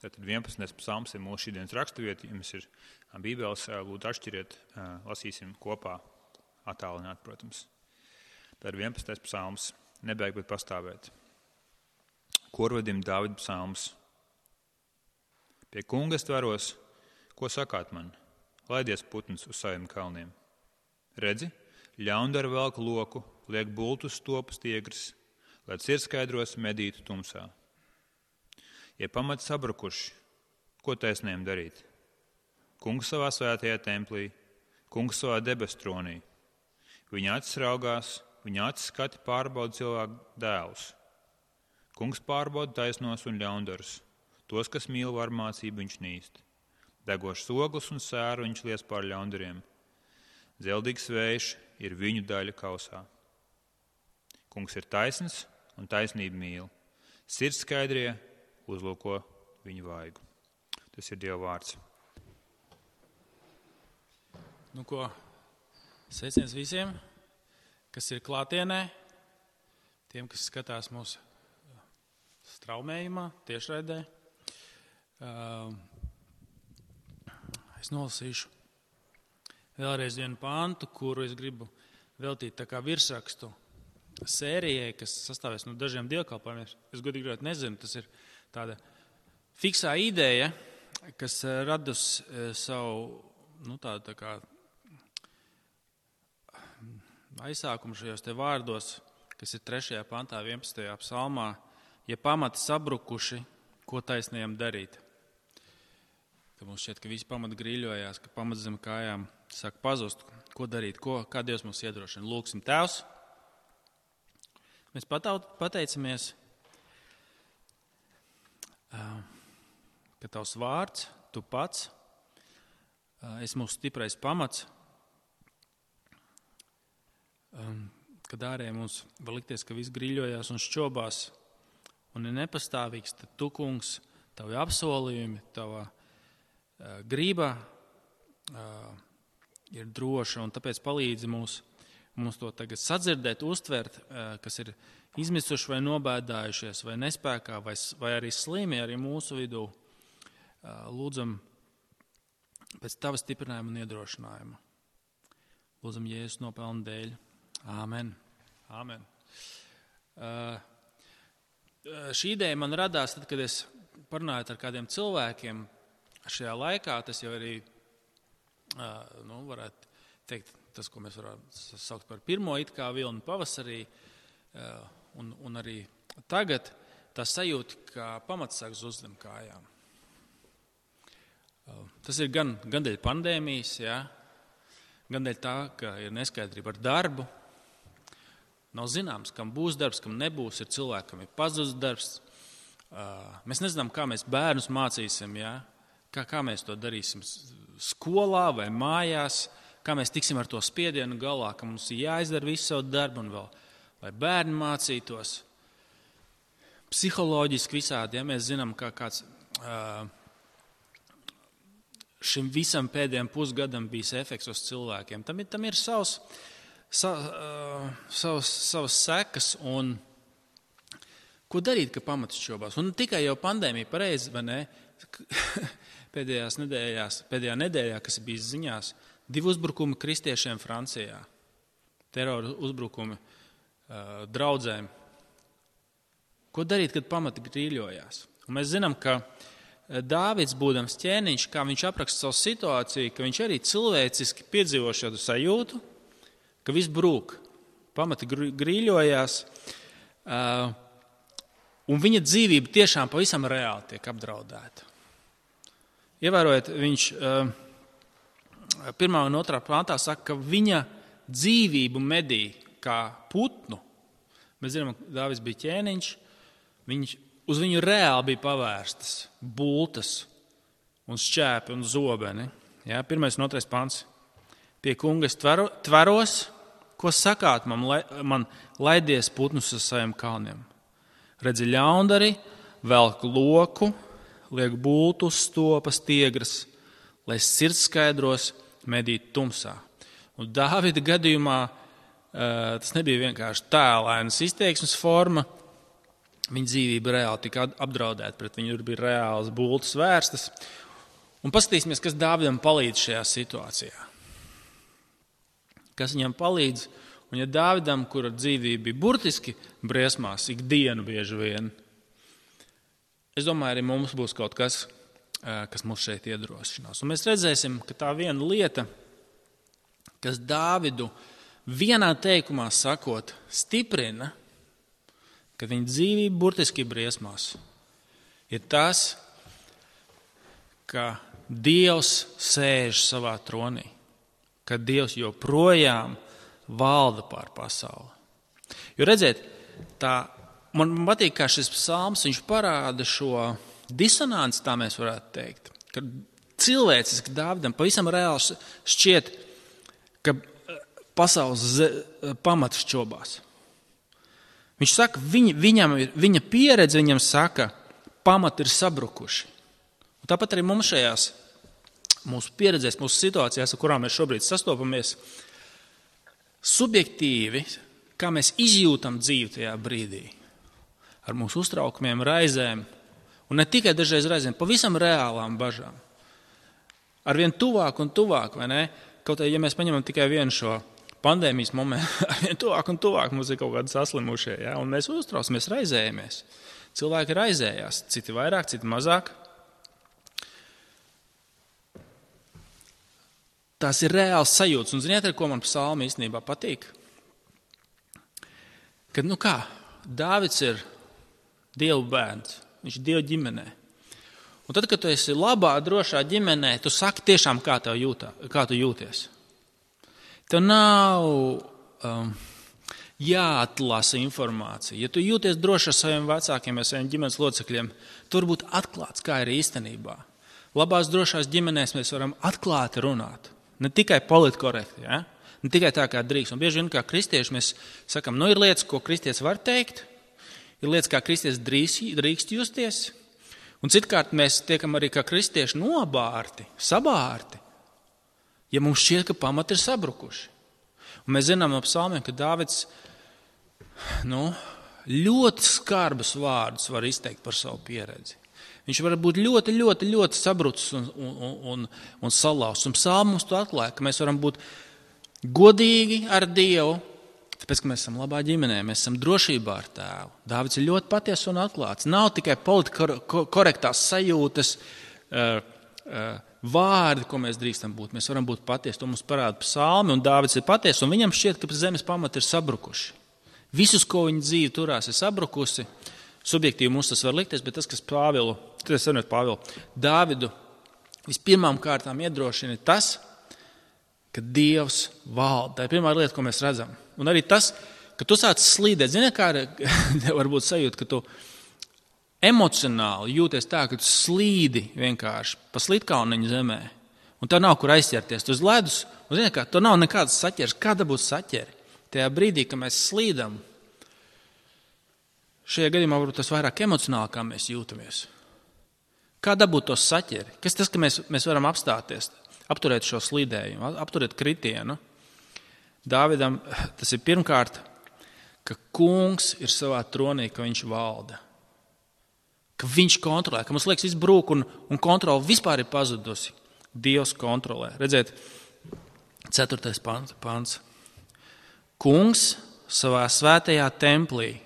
Tātad 11. psalms ir mūsu šīdienas raksturvieta. Ja mums ir Bībeles, lūdzu atšķiriet, lasīsim kopā, attālināt, protams. Tā ir 11. psalms, nebeig, bet pastāvēt. Korvadim Dāvida psalms. Pie kunga es tveros, ko sakāt man? Laidies putns uz saviem kalniem. Redzi, ļaundara velk loku, liek bultus stopas tiegris, lai sirdskaidros medītu tumsā. Ja pamati sabrukuši, ko taisniem darīt? Kungs savā svētajā templī, kungs savā debes tronī. Viņa acis raugās, viņa acis skati pārbauda cilvēku dēlus. Kungs pārbauda taisnos un ļaundarus, tos, kas mīl varmācību viņš nīst. Degošs ogles un sēru viņš lies pār ļaundariem. Dzeldīgs vējš ir viņu daļa kausā. Kungs ir taisns un taisnību mīl. Sirds skaidrie uzlūko viņu vaigu. Tas ir Dieva vārds. Nu ko, sveiciens visiem, kas ir klātienē, tiem, kas skatās mūsu straumējumā, tiešraidē. Es nolasīšu vēlreiz vienu pāntu, kuru es gribu veltīt tā kā virsrakstu sērijai, kas sastāvēs no dažiem dievkalpojumiem. Es godīgi gribētu nezinu, tas ir tāda fiksā ideja, kas radus savu, tādu tā kā aizsākumu šajos te vārdos, kas ir 3. pantā, 11. psalmā, ja pamati sabrukuši, ko taisniem darīt. Ka mums šķiet, ka visi pamati grīļojās, ka pamats zem kājām sāk pazust. Ko darīt, kā Dievs mums iedrošina? Lūksim, Tēvs. Mēs pateicamies, ka Tavs vārds, Tu pats, esi mūsu stiprais pamats, kad ārēji mums var likties, ka viss grīļojās un šķobās un ir nepastāvīgs, tad Tu, kungs, Tavi apsolījumi, Tava grība ir droša, un tāpēc palīdzi mums to tagad sadzirdēt, uztvert, kas ir izmisuši vai nobēdājušies, vai nespēkā, vai arī slimi arī mūsu vidū. Lūdzam pēc Tava stiprinājuma un iedrošinājuma. Lūdzam Jēzus nopelnu dēļ. Āmen. Āmen. Šī ideja man radās tad, kad es parunāju ar kādiem cilvēkiem. Šajā laikā tas jau arī, varētu teikt, tas, ko mēs varētu saukt par pirmo it kā vilni pavasarī, un arī tagad tā sajūta, ka pamats sāk zust zem kājām. Tas ir gan dēļ pandēmijas, gan dēļ tā, ka ir neskaidrība ar darbu. Nav zināms, kam būs darbs, kam nebūs, ir cilvēki, kam ir pazudis darbs. Mēs nezinām, kā mēs bērnus mācīsim, kā mēs to darīsim skolā vai mājās, kā mēs tiksim ar to spiedienu galā, ka mums ir jāizdara visu savu darbu un vēl, lai bērni mācītos. Psiholoģiski visādi, mēs zinām, kā kāds šim visam pēdējiem pusgadam bijis efekts uz cilvēkiem. Tam ir savas sekas un ko darīt, ka pamats šķobās. Un tikai jau pandēmija pareizi, vai ne? Pēdējā nedēļā, kas bija ziņās, 2 uzbrukumi kristiešiem Francijā, terora uzbrukumi draudzēm. Ko darīt, kad pamati grīļojās? Un mēs zinām, ka Dāvids, būdams ķēniņš, kā viņš apraksta savu situāciju, ka viņš arī cilvēciski piedzīvo šādu sajūtu, ka viss brūk, pamati grīļojās, un viņa dzīvība tiešām pavisam reāli tiek apdraudēta. Ievērojot, viņš 1. un 2. pāntā saka, ka viņa dzīvību medī kā putnu. Mēs zinām, ka Dāvids bija ķēniņš, uz viņu reāli bija pavērstas bultas un šķēpi un zobeni. 1. un 2. pāns. Pie kunga es tveros, ko sakāt man laidies putnus uz saviem kalniem. Redzi ļaundari, velk loku, liek bultus, stopas, tiegras, lai sirds skaidros medīt tumsā. Un Dāvida gadījumā tas nebija vienkārši tēlainas izteiksmes forma, Viņa dzīvība reāli tika apdraudēta, pret viņu bija reāls bultas vērstas. Un paskatīsimies, kas Dāvidam palīdz šajā situācijā. Kas viņam palīdz? Un ja Dāvidam, kura dzīvība bija burtiski briesmās, ikdienu bieži vien, es domāju, arī mums būs kaut kas, kas mūs šeit iedrošinās. Un mēs redzēsim, ka tā viena lieta, kas Dāvidu vienā teikumā sakot stiprina, ka viņa dzīvība burtiski briesmās, ir tas, ka Dievs sēž savā tronī, ka Dievs joprojām valda pār pasauli. Jo redziet, man patīk, kā šis psalms, viņš parāda šo disonanci, tā mēs varētu teikt, ka cilvēciski Dāvidam pavisam reāli šķiet, ka pasaules pamats šķobās. Viņš saka, viņa pieredze viņam saka, pamati ir sabrukuši. Un tāpat arī mums šajās mūsu pieredzēs, mūsu situācijās, ar kurām mēs šobrīd sastopamies, subjektīvi, kā mēs izjūtam dzīvi tajā brīdī, ar mūsu uztraukumiem, raizēm, un ne tikai dažreiz raizēm, pavisam reālām bažām. Arvien tuvāk un tuvāk, vai ne? Kaut arī, ja mēs paņemam tikai vienu šo pandēmijas momentu, arvien tuvāk un tuvāk mums ir kaut kādi saslimušie, ja? Un mēs uztraucamies, raizējamies. Cilvēki raizējās, citi vairāk, citi mazāk. Tās ir reāls sajūtas. Un ziniet, ar ko man psalmi īstenībā patīk? Kad, Dāvids ir Dieva bērns, viņš ir Dieva ģimenē. Un tad, kad tu esi labā, drošā ģimenē, tu saki tiešām, kā tu jūties. Tev nav jāatlasa informācija. Ja tu jūties droši ar saviem vecākiem, ar saviem ģimenes locekļiem, tu vari būt atklāts, kā ir īstenībā. Labās, drošās ģimenēs mēs varam atklāti runāt. Ne tikai politkorekti, ja? Ne tikai tā, kā drīkst. Un bieži vien, kā kristieši, mēs sakam, ir lietas, ko kristietis var teikt, ir lietas, kā kristietis drīkst justies, un citkārt mēs tiekam arī kā kristieši nobārti, sabārti, ja mums šķiet, ka pamati ir sabrukuši. Un mēs zinām no psalmiem, ka Dāvids ļoti skarbus vārdus var izteikt par savu pieredzi. Viņš var būt ļoti, ļoti, ļoti sabrucis un salauzts. Un psalmi mums to atklāja, ka mēs varam būt godīgi ar Dievu, tāpēc, ka mēs esam labā ģimenē, mēs esam drošībā ar Tēvu. Dāvids ir ļoti patiess un atklāts. Nav tikai politkorektās sajūtas, vārdi, ko mēs drīkstam būt. Mēs varam būt patiesi. To mums parāda psalmi, un Dāvids ir patiess, un viņam šķiet, ka zemes pamati ir sabrukuši. Visus, ko viņa dzīve turās, ir sabrukusi. Subjektīvi mums tas var likties, bet tas, kas Pāvilu, Dāvidu vispirmām kārtām iedrošina, ir tas, ka Dievs valda. Tā ir pirmā lieta, ko mēs redzam. Un arī tas, ka tu sāc slīdēt. Zini, kā varbūt sajūta, ka tu emocionāli jūties tā, ka tu slīdi vienkārši pa slitkalniņu zemē. Un tev nav kur aizķerties. Tu uz ledus, un zini, kā, tu nav nekādas saķeres. Kā dabūt saķeri? Tajā brīdī, kad mēs slīdam, šajā gadījumā varbūt tas vairāk emocionāli, kā mēs jūtamies. Kā dabūt to saķeri? Kas tas, ka mēs varam apstāties, apturēt šo slīdējumu, apturēt kritienu? Dāvidam tas ir pirmkārt, ka kungs ir savā tronī, ka viņš valda. Ka viņš kontrolē, ka mums liekas viss brūk un kontrola vispār ir pazudusi. Dievs kontrolē. Redziet, 4. pants. Kungs savā svētajā templī,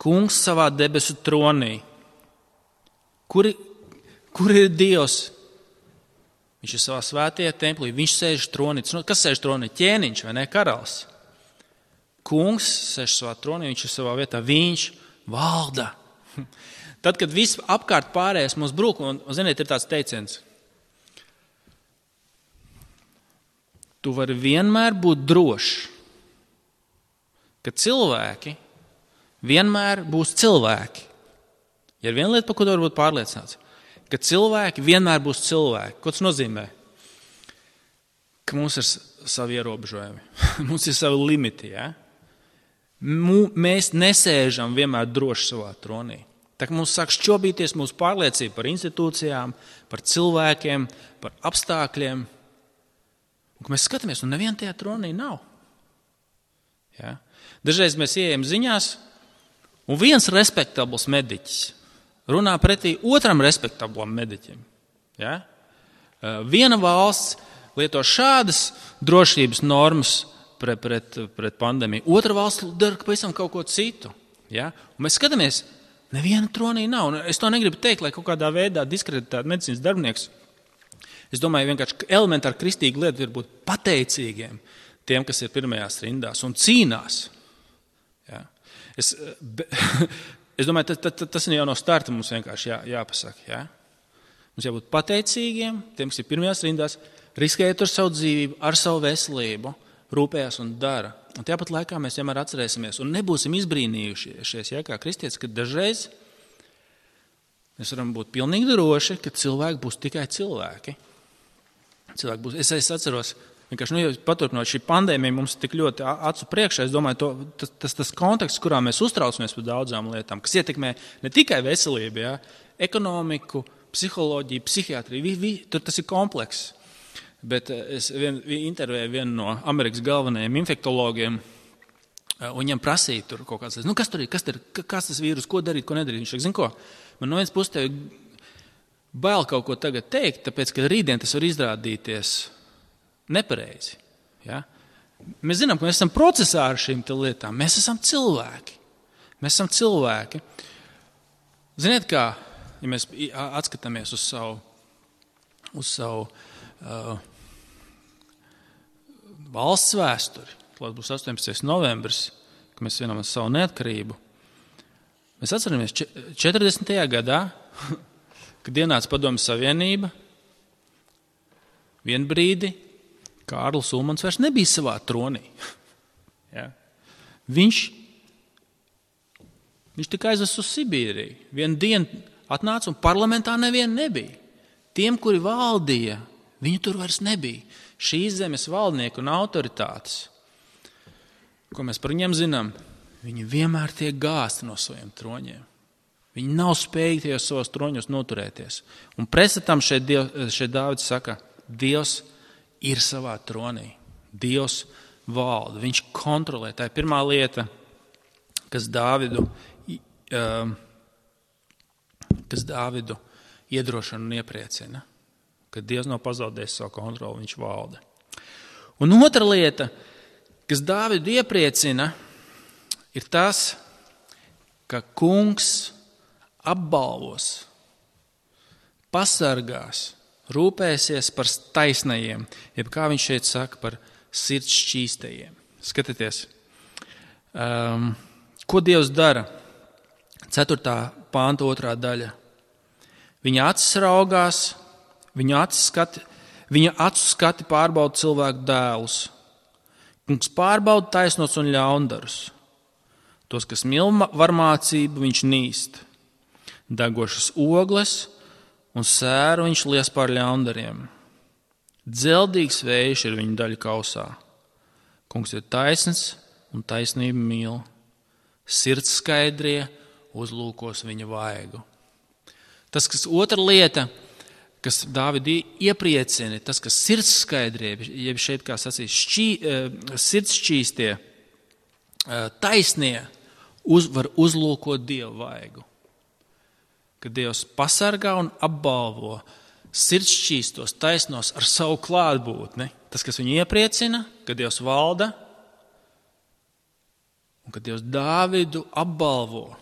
kungs savā debesu tronī. Kur ir Dievs? Viņš ir savā svētajā templī, viņš sēž tronī. Kas sēž tronī? Ķēniņš vai ne? Karalis. Kungs sēž savā tronī, viņš ir savā vietā, viņš valda. Tad, kad viss apkārt pārējais mums brūk, un ziniet, ir tāds teiciens. Tu vari vienmēr būt drošs, ka cilvēki vienmēr būs cilvēki. Ja ir viena lieta, par ko tu vari būt pārliecināts, ka cilvēki vienmēr būs cilvēki. Ko tas nozīmē? Ka mums ir savi ierobežojumi, mums ir savi limiti. Ja? Mēs nesēžam vienmēr droši savā tronī. Tā kā mums sāk šķobīties mūsu pārliecība par institūcijām, par cilvēkiem, par apstākļiem. Un, kad mēs skatāmies, un neviena tajā tronī nav. Ja? Dažreiz mēs ieejam ziņās, Un viens respektabls mediķis runā pretī otram respektablam mediķim. Ja? Viena valsts lieto šādas drošības normas pret pandēmiju, otra valsts dara pavisam kaut ko citu. Ja? Un mēs skatāmies, neviena tronī nav. Un es to negribu teikt, lai kaut kādā veidā diskreditētu medicīnas darbinieks. Es domāju, vienkārši elementāri kristīga lieta ir būt pateicīgiem tiem, kas ir pirmajās rindās un cīnās. Ja? Es domāju, tas jau no starta mums vienkārši jāpasaka. Ja? Mums jābūt pateicīgiem tiem, kas ir pirmajās rindās, riskējot ar savu dzīvību, ar savu veselību, rūpējās un dara. Un tāpat laikā mēs vienmēr atcerēsimies un nebūsim izbrīnījušies, ja, kā kristietis, ka dažreiz mēs varam būt pilnīgi droši, ka cilvēki būs tikai cilvēki. Es atceros, vienkārši, paturpinot šī pandēmija mums tik ļoti acu priekšā, es domāju, tas konteksts, kurā mēs uztraucamies par daudzām lietām, kas ietekmē ne tikai veselību, ja, ekonomiku, psiholoģiju, psihiatriju, tas ir komplekss. Bet es intervēju vienu no Amerikas galvenajiem infektologiem, un viņam prasīja tur kaut kāds, kas tur ir, kas tas vīrus, ko darīt, ko nedarīt. Viņš saka, zin ko, man no viens puses tev bail kaut ko tagad teikt, tāpēc, ka rītdien tas var izrādīties nepareizi. Ja? Mēs zinām, ka mēs esam procesā ar šīm lietām, mēs esam cilvēki. Ziniet kā, ja mēs atskatāmies uz savu valsts vēsturi, klāt būs 18. novembris, kad mēs svinam savu neatkarību. Mēs atceramies 40. gadā, kad ienāca Padomju Savienība, vien brīdi Kārlis Ulmans vairs nebija savā tronī. Ja? Viņš tika aizvests uz Sibīriju. Vienu dienu atnāca un parlamentā neviena nebija. Tiem, kuri valdīja, viņu tur vairs nebija. Šīs zemes valdnieki un autoritātes, ko mēs par viņiem zinām, viņi vienmēr tiek gāsti no saviem troņiem. Viņi nav spējīgi tajos savos troņos noturēties. Un pretstatam šeit Dāvids saka, Dievs ir savā tronī. Dievs valda, viņš kontrolē. Tā ir pirmā lieta, kas Dāvidu iedrošina un iepriecina. Kad Dievs nav pazaudējis savu kontroli, viņš valda. Un otra lieta, kas Dāvidu iepriecina, ir tas, ka kungs apbalvos, pasargās, rūpēsies par taisnajiem, jeb kā viņš šeit saka, par sirds šķīstajiem. Skatieties, ko Dievs dara? 4. pānta 2. daļa. Viņa acis raugās, viņa acu skati pārbauda cilvēku dēlus. Kungs pārbauda taisnos un ļaundarus. Tos, kas mīl varmācību, viņš nīst. Degošas ogles un sēru viņš lies pār ļaundariem. Dzeldīgs vējš ir viņa daļa kausā. Kungs ir taisns un taisnība mīl. Sirds skaidrie uzlūkos viņa vaigu. Tas, kas otra lieta, kas Dāvidu iepriecina, tas, kas sirds skaidrie, jeb šeit, kā sacīs, sirds šķīstie, taisnie, var uzlūkot Dievu vaigu. Kad Dievs pasargā un apbalvo sirds šķīstos, taisnos ar savu klātbūtni, tas, kas viņu iepriecina, kad Dievs valda, un kad Dievs Dāvidu apbalvo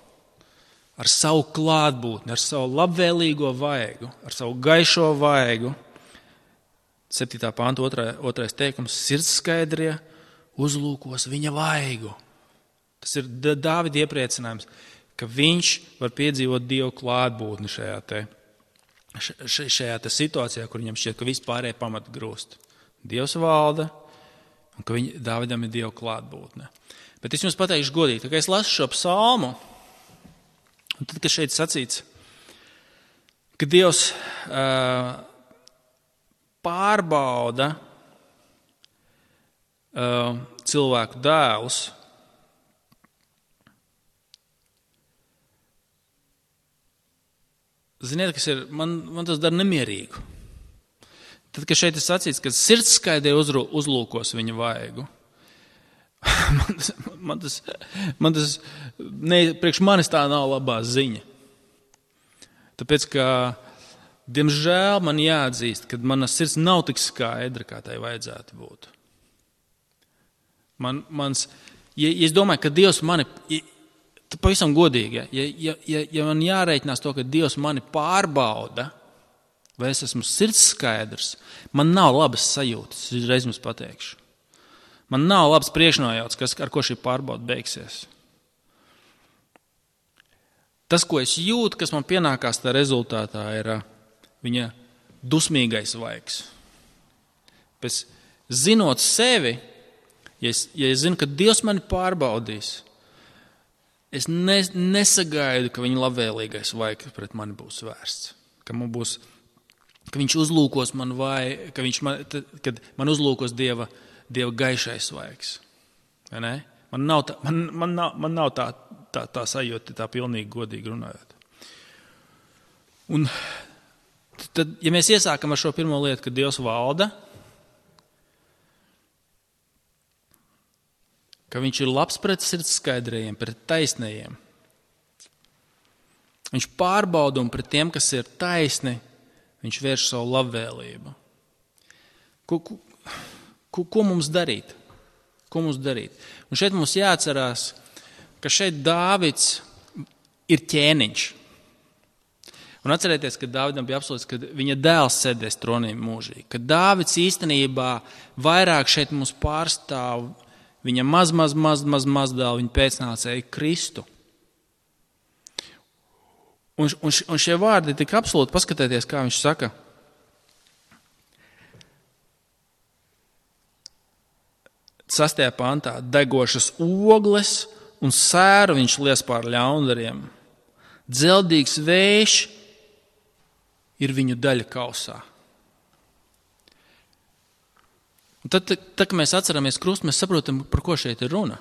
ar savu klātbūtni, ar savu labvēlīgo vaigu, ar savu gaišo vaigu. 7. pānta 2. teikums, sirds skaidrie uzlūkos viņa vaigu. Tas ir Dāvida iepriecinājums, ka viņš var piedzīvot Dievu klātbūtni šajā situācijā, kur viņam šķiet, ka vispārējie pamati grūst. Dievs valda, un ka Dāvidam ir Dieva klātbūtne. Bet es jums pateikšu godīgi, ka es lasu šo psalmu, un tad, kad šeit sacīts, ka Dievs pārbauda cilvēku dēlus, ziniet, kas ir, man tas dara nemierīgu. Tad, kad šeit ir sacīts, ka sirds skaidrie uzlūkos viņa vaigu, priekš manis tā nav labā ziņa. Tāpēc, ka, diemžēl, man jāatzīst, ka mana sirds nav tik skaidra, kā tai vajadzētu būt. Ja es domāju, ka Dievs mani, pavisam godīgi, ja man jārēķinās to, ka Dievs mani pārbauda, vai es esmu sirds skaidrs, man nav labas sajūtas, es reiz jums pateikšu. Man nav labs priekšnojauts, ar ko šī pārbauda beigsies. Tas, ko es jūtu, kas man pienākās tā rezultātā, ir viņa dusmīgais vaigs. Pēc zinot sevi, ja es zinu, ka Dievs mani pārbaudīs, es nesagaidu, ka viņa labvēlīgais vaigs pret mani būs vērsts. Ka viņš uzlūkos man vai, kad man uzlūkos Dieva gaišais vaigs. Vai ne? Man nav tā sajūta, tā pilnīgi godīgi runājot. Un tad, ja mēs iesākam ar šo pirmo lietu, ka Dievs valda, ka viņš ir labs pret sirds skaidrajiem, pret taisnajiem. Viņš pārbauda un pret tiem, kas ir taisni, viņš vērš savu labvēlību. Ko mums darīt? Ko mums darīt? Un šeit mums jāatcerās, ka šeit Dāvids ir ķēniņš. Un atcerieties, ka Dāvidam bija apsolīts, ka viņa dēls sēdēs tronī mūžīgi. Ka Dāvids īstenībā vairāk šeit mums pārstāv viņa mazdēlu, viņa pēcnācēju Kristu. Un šie vārdi tik absolūti, paskatieties, kā viņš saka. 6. pantā, degošas ogles un sēru viņš lies pār ļaundariem. Dzeldīgs vējš ir viņu daļa kausā. Un tad, kad mēs atceramies krustu, mēs saprotam, par ko šeit ir runa.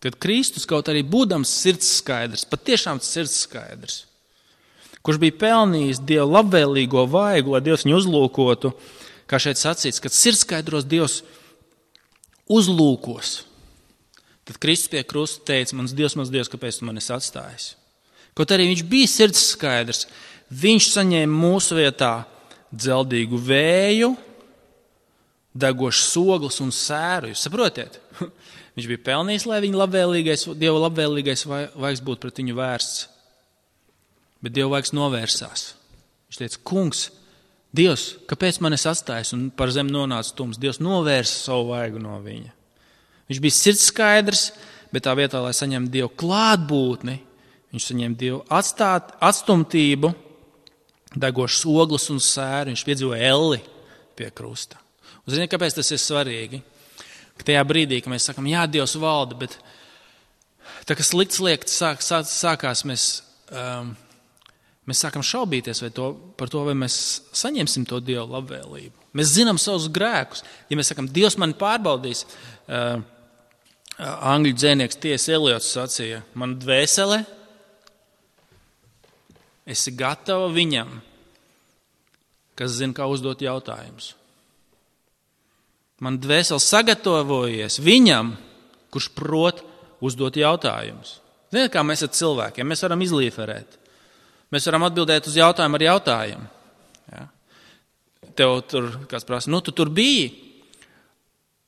Kad Kristus, kaut arī būdams sirds skaidrs, patiešām sirds skaidrs, kurš bija pelnījis Dieva labvēlīgo vaigu, lai Dievs viņu uzlūkotu, kā šeit sacīts, kad sirds skaidros Dievs uzlūkos. Tad Kristus pie krusta teica, mans Dievs, kāpēc tu mani esi atstājis? Kaut arī viņš bija sirds skaidrs, viņš saņēma mūsu vietā dzeldīgu vēju, degošas ogles un sēru. Jūs saprotiet? Viņš bija pelnījis, lai viņa Dieva labvēlīgais vaigs būtu pret viņu vērsts. Bet Dieva vaigs novērsās. Viņš teica, kungs, Dievs, kāpēc man es atstājis? Un par zemi nonāca tums. Dievs novērsa savu vaigu no viņa. Viņš bija sirds skaidrs, bet tā vietā, lai saņemtu Dievu klātbūtni, viņš saņēma Dievu atstumtību, degošas ogles un sēru. Viņš piedzīvoja elli pie krusta. Un ziniet, kāpēc tas ir svarīgi? Ka tajā brīdī, kad mēs sakam, jā, Dievs valda, bet tā, kas slikts liekas sākās, mēs sākam šaubīties par to, vai mēs saņemsim to Dieva labvēlību. Mēs zinām savus grēkus. Ja mēs sakam, Dievs mani pārbaudīs, angļu dzēnieks T.S. Eliots sacīja, man dvēsele, esi gatava viņam, kas zina, kā uzdot jautājumus. Man dvēsele sagatavojies viņam, kurš prot uzdot jautājumus. Ziniet, kā mēs ar cilvēkiem, mēs varam izlīferēt. Mēs varam atbildēt uz jautājumu ar jautājumu. Ja? Tev tur kāds prasa, tu tur biji,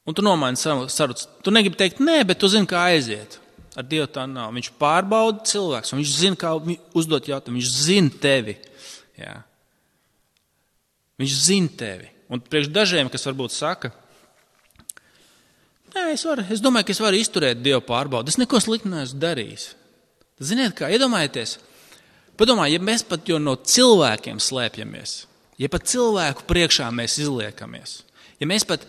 un tu nomaini sarucu. Tu negribi teikt, nē, bet tu zini, kā aiziet. Ar Dievu tā nav. Viņš pārbauda cilvēks, un viņš zina, kā uzdot jautājumu. Viņš zina tevi. Ja? Viņš zina tevi. Un priekš dažiem, kas varbūt saka, nē, es domāju, ka es varu izturēt Dievu pārbaudu. Es neko sliktu neesmu darījis. Ziniet kā, iedomājieties, ja mēs pat jau no cilvēkiem slēpjamies, ja pat cilvēku priekšā mēs izliekamies, ja mēs pat,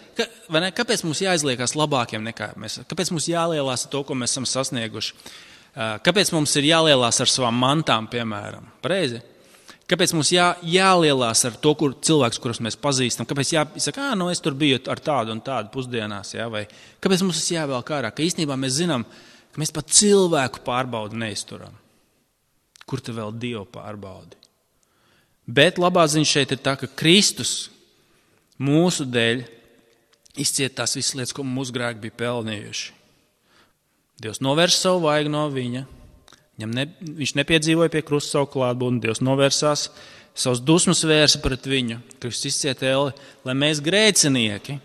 kāpēc mums jāizliekās labākiem nekā mēs, kāpēc mums jālielās ar to, ko mēs esam sasnieguši, kāpēc mums ir jālielās ar savām mantām, piemēram, pareizi? Kāpēc mums jālielās ar to, cilvēks, kurus mēs pazīstam, kāpēc jāsaka, es tur biju ar tādu un tādu pusdienās, ja? Vai kāpēc mums tas jāvēl kārā, ka īstenībā mēs zinām, ka mēs pat cilvēku pārbaudu neizturam. Kur te vēl Dievu pārbaudi? Bet labā ziņa šeit ir tā, ka Kristus mūsu dēļ izciet tās visas lietas, ko mūsu grēki bija pelnījuši. Dievs novērš savu vaigu no viņa. Viņš nepiedzīvoja pie krusta savu klātbūtni. Dievs novērsās, savus dusmas vērsa pret viņu. Kristus izcieta elli, lai mēs grēcinieki,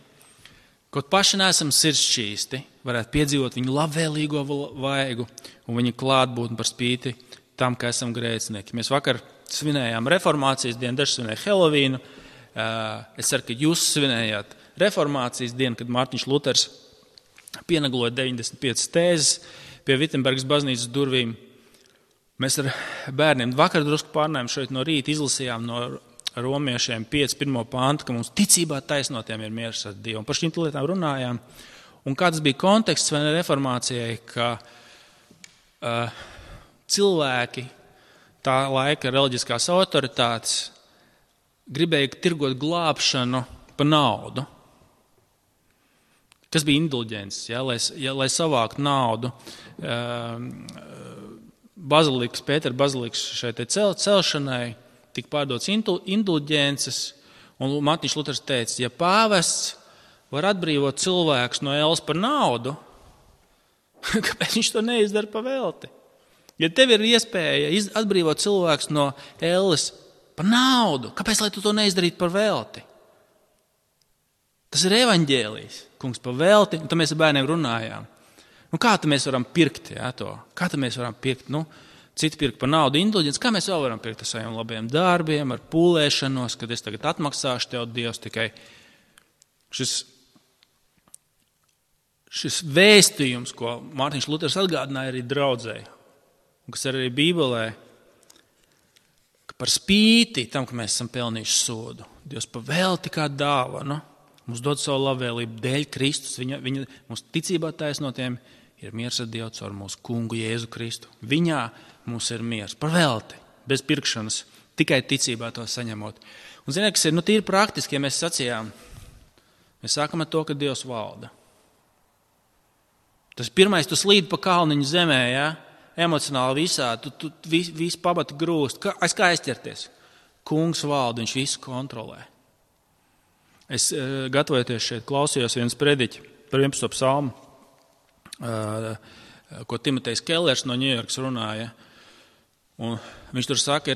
kaut paši neesam sirdsšķīsti, varētu piedzīvot viņu labvēlīgo vaigu un viņa klātbūtni par spīti tam, ka esam grēcinieki. Mēs vakar svinējām reformācijas dienu, daži svinēja Helovīnu. Es ceru, ka jūs svinējāt reformācijas dienu, kad Mārtiņš Luters pienagloja 95 tēzes pie Vittenbergas baznīcas durvīm. Mēs ar bērniem vakar drusku pārnājām šeit no rīta, izlasījām no romiešiem 5.1. pāntu, ka mums ticībā taisnotiem ir miers ar Dievu. Un par šīm lietām runājām. Un kāds bija konteksts vai reformācijai, ka cilvēki, tā laika reliģiskās autoritātes, gribēja tirgot glābšanu pa naudu. Kas bija indulģences, lai savāktu naudu. Pētera bazilikas šeit celšanai tika pārdots indulģences, un Mārtiņš Luters teica, ja pāvests var atbrīvot cilvēkus no ēles par naudu, kāpēc viņš to neizdara pa velti? Ja tev ir iespēja atbrīvot cilvēkus no ēles par naudu, kāpēc lai tu to neizdarītu par velti? Tas ir evaņģēlijs, kungs, pa velti, un tad mēs ar bērniem runājām. Kā tad mēs varam pirkt to? Kā tad mēs varam pirkt? Citi pirkt par naudu indulģences. Kā mēs vēl varam pirkt ar saviem labiem darbiem, ar pūlēšanos, kad es tagad atmaksāšu tev, Dievs, tikai šis vēstījums, ko Mārtiņš Luters atgādināja arī draudzēji, un kas arī Bībelē, ka par spīti tam, ka mēs esam pelnījuši sodu, Dievs pa velti kā dāvanu, mums dod savu labvēlību dēļ Kristus, viņa mums ticībā taisnotiem ir miers ar Dievu caur mūsu kungu Jēzu Kristu. Viņā mums ir miers, par velti, bez pirkšanas, tikai ticībā to saņemot. Un ziniet, kas ir, tīri praktiski, ja mēs sacījām, mēs sākam ar to, ka Dievs valda. Tas pirmais, tu slīd pa kalniņu zemē, emocionāli visā, tu visu pabati grūst, kā aizķerties. Kungs valda, viņš visu kontrolē. Es gatavojoties šeit klausījos vienas prediķi par 11. psalmu, ko Timotejs Kellers no Ņujorkas runāja. Un viņš tur saka,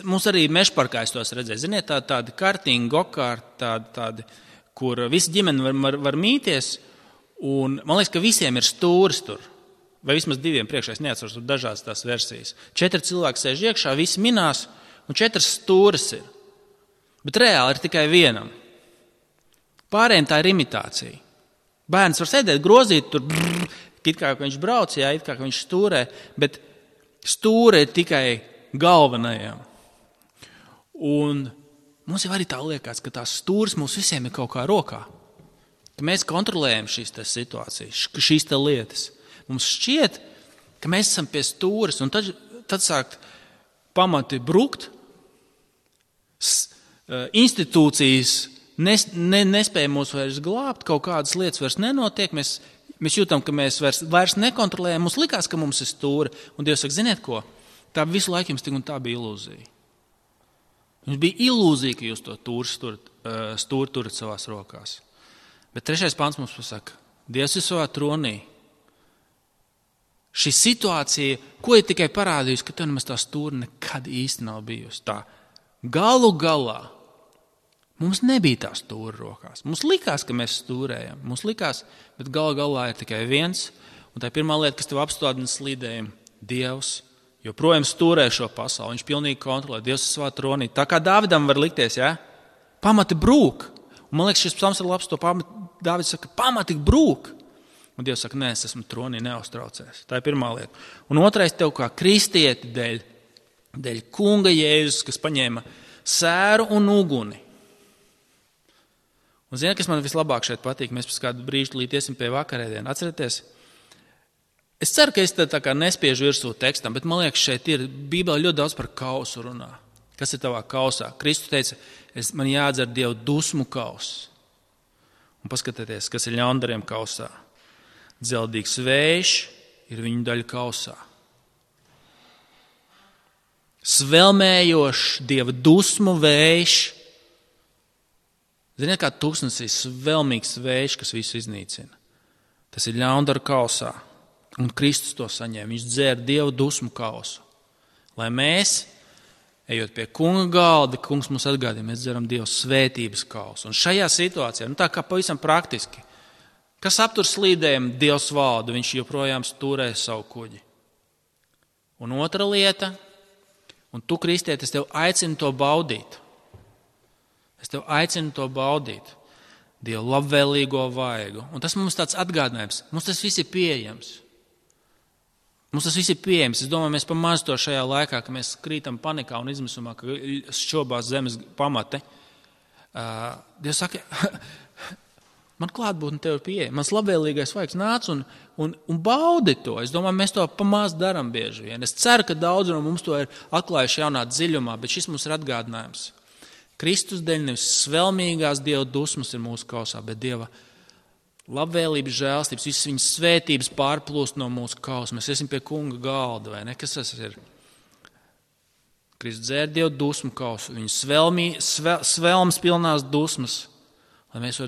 mums arī Mešparkā es tos redzēju. Ziniet, tādi kartiņi, gokārti, tādi, kur visi ģimeni var mīties. Un man liekas, ka visiem ir stūris tur. Vai vismaz 2 priekšā, es neatceros, tur dažādas tās versijas. 4 cilvēki sēž iekšā, visi minās, un 4 stūris ir. Bet reāli ir tikai vienam. Pārējiem tā ir imitācija. Bērns var sēdēt, grozīt tur, it kā viņš brauc, it kā viņš stūrē, bet stūre ir tikai galvenajam. Un mums jau arī tā liekas, ka tās stūres mums visiem ir kaut kā rokā. Ka mēs kontrolējam šīs situācijas, šīs lietas. Mums šķiet, ka mēs esam pie stūres, un tad sākt pamati brukt, institūcijas nespēja mūs vairs glābt, kaut kādas lietas vairs nenotiek, mēs jūtam, ka mēs vairs nekontrolējam, mums likās, ka mums ir stūra, un Dievs saka, ziniet ko, tā visu laiku jums tik un tā bija ilūzija. Jums bija ilūzija, ka jūs to stūri turat savās rokās. Bet 3. pants mums pasaka, Dievs ir savā tronī. Šī situācija, ko ir tikai parādījusi, ka tev nemaz tā stūra nekad īsti nav bijusi. Tā galu galā mums nebija tā stūra rokās. Mums likās, ka mēs stūrējam. Mums likās, bet galā ir tikai viens. Un tā pirmā lieta, kas tev apstādina slīdējumu, Dievs joprojām stūrē šo pasauli. Viņš pilnīgi kontrolē. Dievs ir savā tronī. Tā kā Dāvidam var likties, pamati brūk. Un man liekas, šis psalms ir labs, to Dāvids saka, pamati brūk. Un Dievs saka, nē, es esmu tronī, neuztraucies. Tā ir pirmā lieta. Un otrais, tev kā kristieti dēļ kunga Jēzus, kas paņēma sēru un uguni. Un ziniet, kas man vislabāk šeit patīk, mēs pēc kādu brīžu līdiesim pie vakarēdienu. Atcerieties, es ceru, ka es tā kā nespiežu virsū tekstam, bet man liekas, šeit ir Bībelē ļoti daudz par kausu runā. Kas ir tavā kausā? Kristus teica, man jādzer Dievu dusmu kauss. Un paskatieties, kas ir ļaundariem kausā. Dzeldīgs vējš ir viņu daļa kausā. Svelmējošs Dieva dusmu vējš. Ziniet, kā tūkstnesī svelmīgs vējš, kas visu iznīcina. Tas ir ļaundaru kausā. Un Kristus to saņēma. Viņš dzēra Dieva dusmu kausu. Lai mēs, ejot pie kunga galda, kungs mums atgādina, mēs dzeram Dieva svētības kausu. Un šajā situācijā, tā kā pavisam praktiski, kas aptur slīdējumu, Dievs valda, viņš joprojām stūrē savu kuģi. Un otra lieta, un tu, kristieti, es tev aicinu to baudīt. Es tev aicinu to baudīt. Dieva labvēlīgo vaigu. Un tas mums tāds atgādinājums. Mums tas viss ir pieejams. Es domāju, mēs pamaz to šajā laikā, ka mēs krītam panikā un izmisumā, ka šķobās zemes pamati. Dievs saka, man klātbūtne tev ir pieeja. Mans labvēlīgais vaigs nāc un baudi to. Es domāju, mēs to pamaz daram bieži vien. Es ceru, ka daudz no mums to ir atklājuši jaunā dziļumā, bet šis mums ir atgādinājums. Kristus dēļ nevis svelmīgās Dieva dusmas ir mūsu kausā, bet Dieva labvēlības, žēlstības, visas viņas svētības pārplūst no mūsu kausa. Mēs esam pie kunga galda, vai ne? Kas tas ir? Kristus dzēra Dieva dusmu kausu, viņas svelmas pilnās dusmas, lai mēs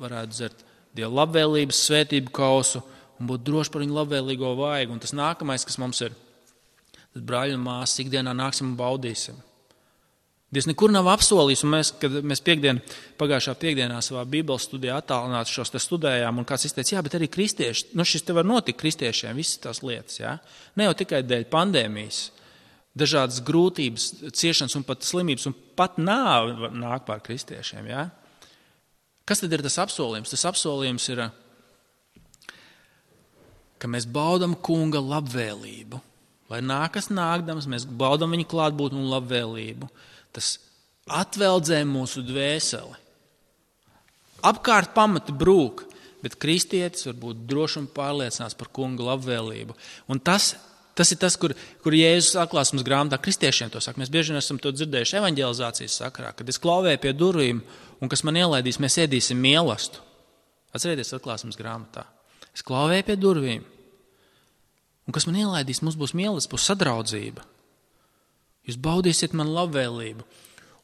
varētu dzert Dieva labvēlības, svētību kausu un būt droši par viņu labvēlīgo vaigu. Un tas nākamais, kas mums ir, tad brāļi un māsas ikdienā nāksim un baudīsim. Dievs nekur nav apsolījis, un kad mēs pagājušā piekdienā savā Bībeles studijā attālināti šos te studējām, un kāds izteica, jā, bet arī kristieši, šis te var notikt kristiešiem, visas tās lietas, jā. Ne jau tikai dēļ pandēmijas, dažādas grūtības, ciešanas un pat slimības, un pat nāve nāk pār kristiešiem, jā. Kas tad ir tas apsolījums? Tas apsolījums ir, ka mēs baudam kunga labvēlību. Lai nākas nākdams, mēs baudam viņa klātbūtni un labvēlību. Tas atveldzē mūsu dvēseli. Apkārt pamati brūk, bet kristietis var būt droši un pārliecināts par kunga labvēlību. Un tas ir tas, kur Jēzus atklāsmes grāmatā kristiešiem to saka. Mēs bieži esam to dzirdējuši evaņģelizācijas sakarā, kad es klauvēju pie durvīm un kas man ielaidīs, mēs ēdīsim mielastu. Atcerieties atklāsmes grāmatā. Es klauvēju pie durvīm un kas man ielaidīs, mums būs mielasts, būs sadraudzība. Jūs baudīsiet man labvēlību.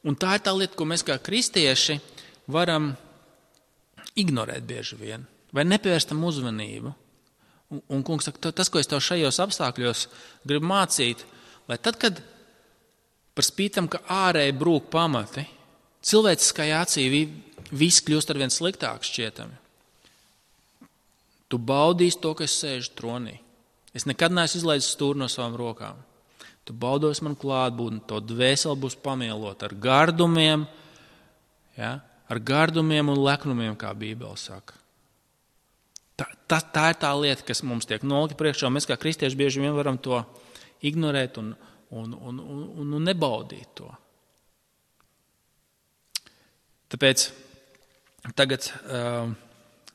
Un tā ir tā lieta, ko mēs kā kristieši varam ignorēt bieži vien, vai nepievērstam uzmanību. Un kungs saka, tas, ko es tev šajos apstākļos gribu mācīt, lai tad, kad par spītam, ka ārēji brūk pamati, cilvēciskajā acī viss kļūst arvien sliktāk šķietami. Tu baudīsi to, ka es sēžu tronī. Es nekad neesmu izlaidis stūri no savām rokām. Tu baudos man klātbūtni, to dvēseli būs pamielot ar gardumiem, ja? Ar gardumiem un leknumiem, kā Bībele saka. Tā ir tā lieta, kas mums tiek nolikta priekšā, un mēs kā kristieši bieži vien varam to ignorēt un nebaudīt to. Tāpēc tagad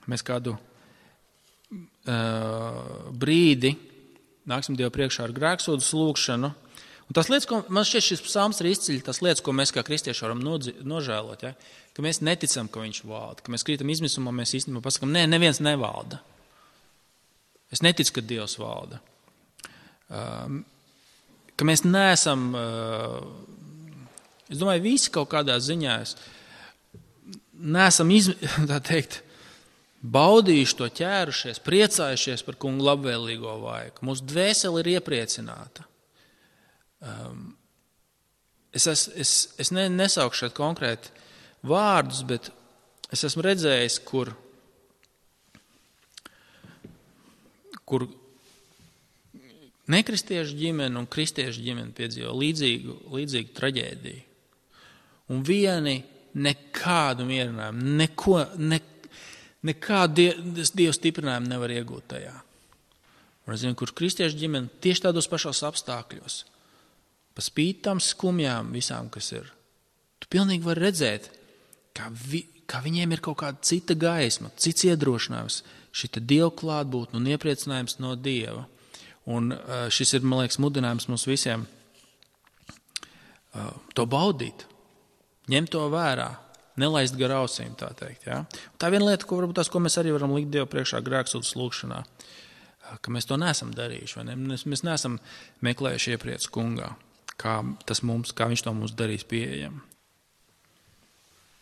mēs kādu brīdi nāksim Dievu priekšā ar grēksūdzes lūgšanu. Un tās lietas, ko man šķiet šis psalms ir izceļ, tās lietas, ko mēs kā kristieši varam nožēlot, ja? Ka mēs neticam, ka viņš valda, ka mēs krītam izmisumā, mēs īstenībā pasakam, neviens nevalda. Es neticu, ka Dievs valda. Ka mēs neesam, es domāju, visi kaut kādā ziņā neesam tā teikt, baudījuši to, ķērušies, priecājušies par kungu labvēlīgo vaigu. Mūsu dvēseli ir iepriecināta. Es nesaukšu šeit konkrēti vārdus, bet es esmu redzējis, kur nekristiešu ģimene un kristiešu ģimene piedzīvo līdzīgu traģēdiju. Un vieni nekādu mierinājumu, nekādu Dievu stiprinājumu nevar iegūt tajā. Un es zinu, kur kristiešu ģimene tieši tādos pašos apstākļos, pa spīti tām skumjām visām, kas ir. Tu pilnīgi vari redzēt, kā viņiem ir kaut kāda cita gaisma, cits iedrošinājums, šita Dieva klātbūtne un iepriecinājums no Dieva. Un šis ir, man liekas, mudinājums mums visiem to baudīt, ņemt to vērā. Nelaist gar ausīm, tā teikt. Ja? Tā ir viena lieta, ko mēs arī varam likt Dievu priekšā grēksūdzes lūgšanā, ka mēs to neesam darījuši. Vai ne? Mēs neesam meklējuši iepriec kungā, kā viņš to mums darīs pieejam.